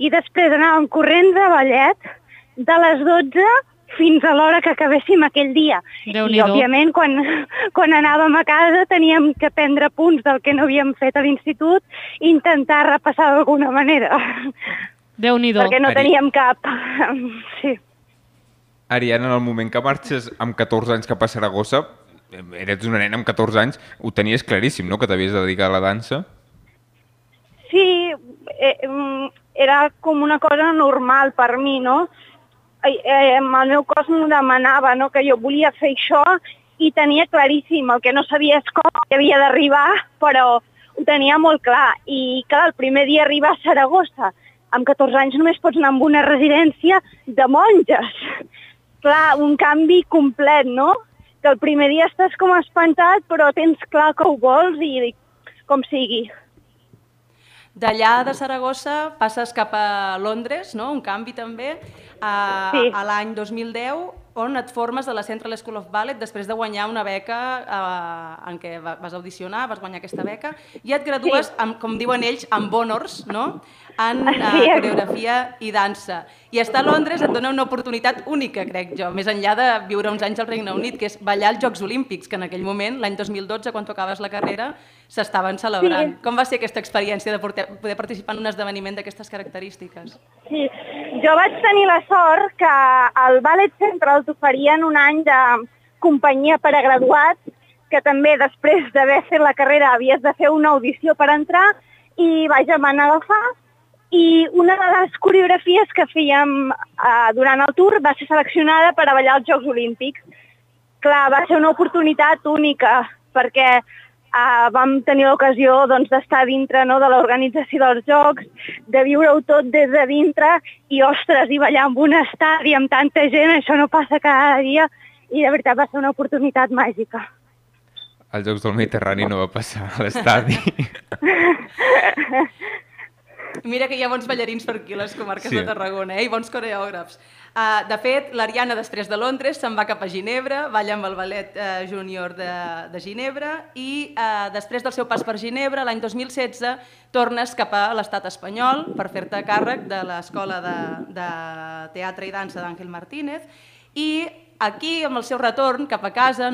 Speaker 14: i després anàvem corrents a ballet de les 12 fins a l'hora que acabéssim aquell dia. I, òbviament, quan anàvem a casa teníem que prendre punts del que no havíem fet a l'institut i intentar repassar d'alguna manera.
Speaker 2: Déu-n'hi-do.
Speaker 14: Perquè no teníem cap... Sí.
Speaker 12: Ariana, en el moment que marxes amb 14 anys cap a Saragossa, eres una nena amb 14 anys, ho tenies claríssim, no?, que t'havies de dedicar a la dansa?
Speaker 14: Sí, era com una cosa normal per mi, no? El meu cos m'ho demanava, no?, que jo volia fer això i tenia claríssim, el que no sabia és com havia d'arribar, però ho tenia molt clar. I clar, el primer dia arribar a Saragossa, amb 14 anys només pots anar a una residència de monges. Clar, un canvi complet, no? Que el primer dia estàs com espantat, però tens clar que ho vols i com sigui.
Speaker 13: D'allà de Saragossa passes cap a Londres, no? Un canvi també, a l'any 2010, on et formes a la Central School of Ballet després de guanyar una beca en què vas audicionar, vas guanyar aquesta beca, i et gradues, com diuen ells, amb honors, no?, en coreografia i dansa. I estar a Londres et dona una oportunitat única, crec jo, més enllà de viure uns anys al Regne Unit, que és ballar als Jocs Olímpics, que en aquell moment, l'any 2012, quan tu acabes la carrera, s'estaven celebrant. Sí. Com va ser aquesta experiència de poder participar en un esdeveniment d'aquestes característiques?
Speaker 14: Sí, jo vaig tenir la sort que al Ballet Central t'oferien un any de companyia per a graduats, que també després d'haver fet la carrera havies de fer una audició per entrar, i vaja, m'han agafar. I una de les coreografies que fèiem durant el tour va ser seleccionada per a ballar als Jocs Olímpics. Clar, va ser una oportunitat única, perquè vam tenir l'ocasió d'estar dintre de l'organització dels Jocs, de viure-ho tot des de dintre i, ostres, i ballar en un estadi amb tanta gent, això no passa cada dia, i de veritat va ser una oportunitat màgica.
Speaker 12: Als Jocs del Mediterrani no va passar a l'estadi.
Speaker 13: Mira que hi ha bons ballarins per aquí a les comarques de Tarragona, i bons coreògrafs. De fet, l'Ariana, després de Londres, se'n va cap a Ginebra, balla amb el Ballet Júnior de Ginebra, i després del seu pas per Ginebra, l'any 2016, tornes cap a l'estat espanyol per fer-te càrrec de l'Escola de Teatre i Dansa d'Àngel Martínez, i aquí, amb el seu retorn cap a casa,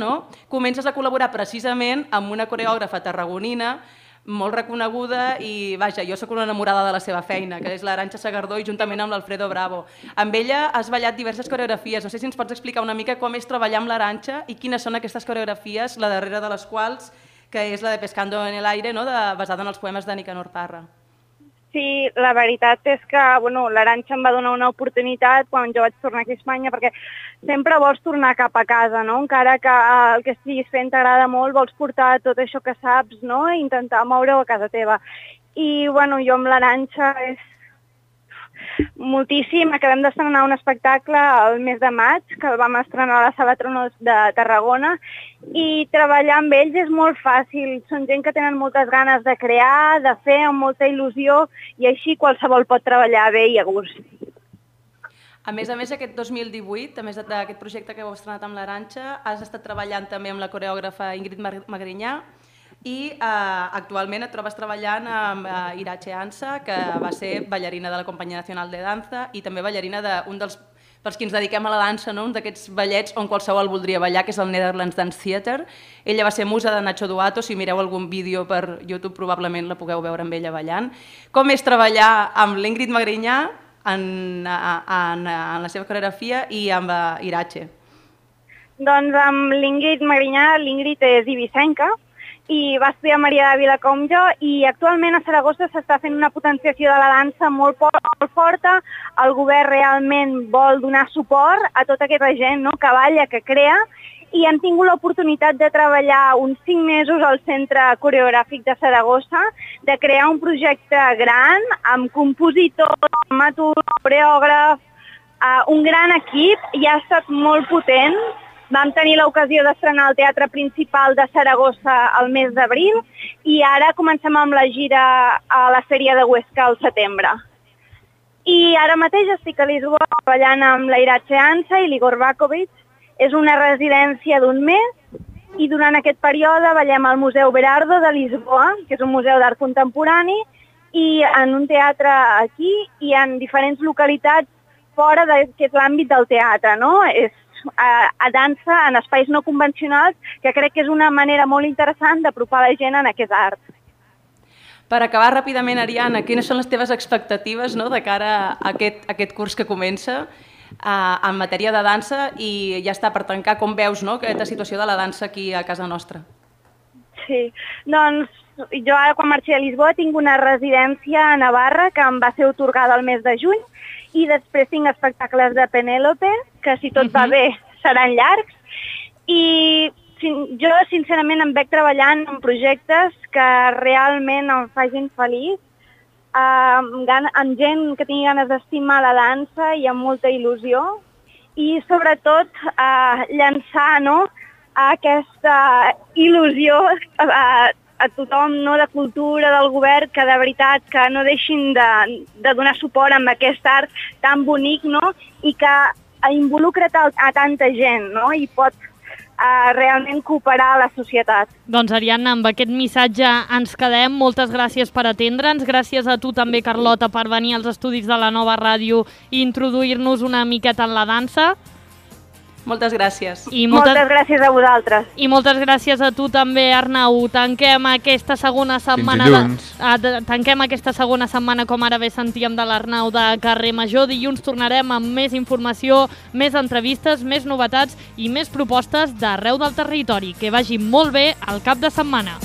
Speaker 13: comences a col·laborar precisament amb una coreògrafa tarragonina molt reconeguda i, vaja, jo sóc una enamorada de la seva feina, que és l'Arantxa Sagardó, i juntament amb l'Alfredo Bravo. Amb ella has ballat diverses coreografies. No sé si ens pots explicar una mica com és treballar amb l'Arantxa i quines són aquestes coreografies, la darrera de les quals, que és la de Pescando en el aire, basada en els poemes de Nicanor Parra.
Speaker 14: Sí, la veritat és que l'Arantxa em va donar una oportunitat quan jo vaig tornar aquí a Espanya, perquè sempre vols tornar cap a casa, no? Encara que el que estiguis fent t'agrada molt, vols portar tot això que saps, no? I intentar moure-ho a casa teva. I jo amb l'Arantxa és moltíssim. Acabem d'estrenar un espectacle el mes de maig, que el vam estrenar a la Sala Tronos de Tarragona, i treballar amb ells és molt fàcil. Són gent que tenen moltes ganes de crear, de fer, amb molta il·lusió, i així qualsevol pot treballar bé i a gust.
Speaker 13: A més, aquest 2018, a més d'aquest projecte que heu estrenat amb l'Arantxa, has estat treballant també amb la coreògrafa Ingrid Magrinyà i actualment et trobes treballant amb Irache Ansa, que va ser ballarina de la Companyia Nacional de Danza i també ballarina d'un dels pels qui ens dediquem a la dansa, un d'aquests ballets on qualsevol voldria ballar, que és el Netherlands Dance Theatre. Ella va ser musa de Nacho Duato, si mireu algun vídeo per YouTube probablement la pugueu veure amb ella ballant. Com és treballar amb l'Ingrid Magrinyà en la seva coreografia i amb Irache?
Speaker 14: Doncs amb l'Ingrid Magrinyà, l'Ingrid és ibicenca i va estudiar a Maria d'Àvila com jo, i actualment a Saragossa s'està fent una potenciació de la dansa molt forta. El govern realment vol donar suport a tota aquesta gent que balla, que crea, i hem tingut l'oportunitat de treballar uns 5 mesos al Centre Coreogràfic de Saragossa, de crear un projecte gran amb compositor, dramaturg, coreògraf, un gran equip, i ha estat molt potent. Vam tenir l'ocasió d'estrenar al Teatre Principal de Saragossa el mes d'abril i ara comencem amb la gira a la Fèria de Huesca al setembre. I ara mateix estic a Lisboa treballant amb la Irache Ansa i l'Igor Bakovic. És una residència d'1 mes i durant aquest període ballem al Museu Berardo de Lisboa, que és un museu d'art contemporani, i en un teatre aquí i en diferents localitats fora d'aquest l'àmbit del teatre, És a dansa en espais no convencionals, que crec que és una manera molt interessant d'apropar la gent en aquest art.
Speaker 13: Per acabar ràpidament, Ariana, quines són les teves expectatives de cara a aquest curs que comença en matèria de dansa i ja està, per tancar, com veus aquesta situació de la dansa aquí a casa nostra?
Speaker 14: Sí, doncs jo ara quan marxi a Lisboa tinc una residència a Navarra que em va ser atorgada el mes de juny i després tinc espectacles de Penélope, que si tot va bé seran llargs, i jo sincerament em veig treballant en projectes que realment em facin feliç, amb gent que tingui ganes d'estimar la dansa i amb molta il·lusió, i sobretot llançar aquesta il·lusió a tothom de cultura, del govern, que de veritat que no deixin de donar suport amb aquest art tan bonic i que involucra a tanta gent i pot realment cooperar a la societat.
Speaker 2: Doncs, Ariadna, amb aquest missatge ens quedem. Moltes gràcies per atendre'ns. Gràcies a tu també, Carlota, per venir als estudis de la Nova Ràdio i introduir-nos una miqueta en la dansa.
Speaker 13: Moltes gràcies.
Speaker 14: Moltes gràcies a vosaltres.
Speaker 2: I moltes gràcies a tu també, Arnau. Tanquem aquesta segona setmana com ara bé sentíem de l'Arnau de Carrer Major. Dilluns tornarem amb més informació, més entrevistes, més novetats i més propostes d'arreu del territori. Que vagi molt bé el cap de setmana.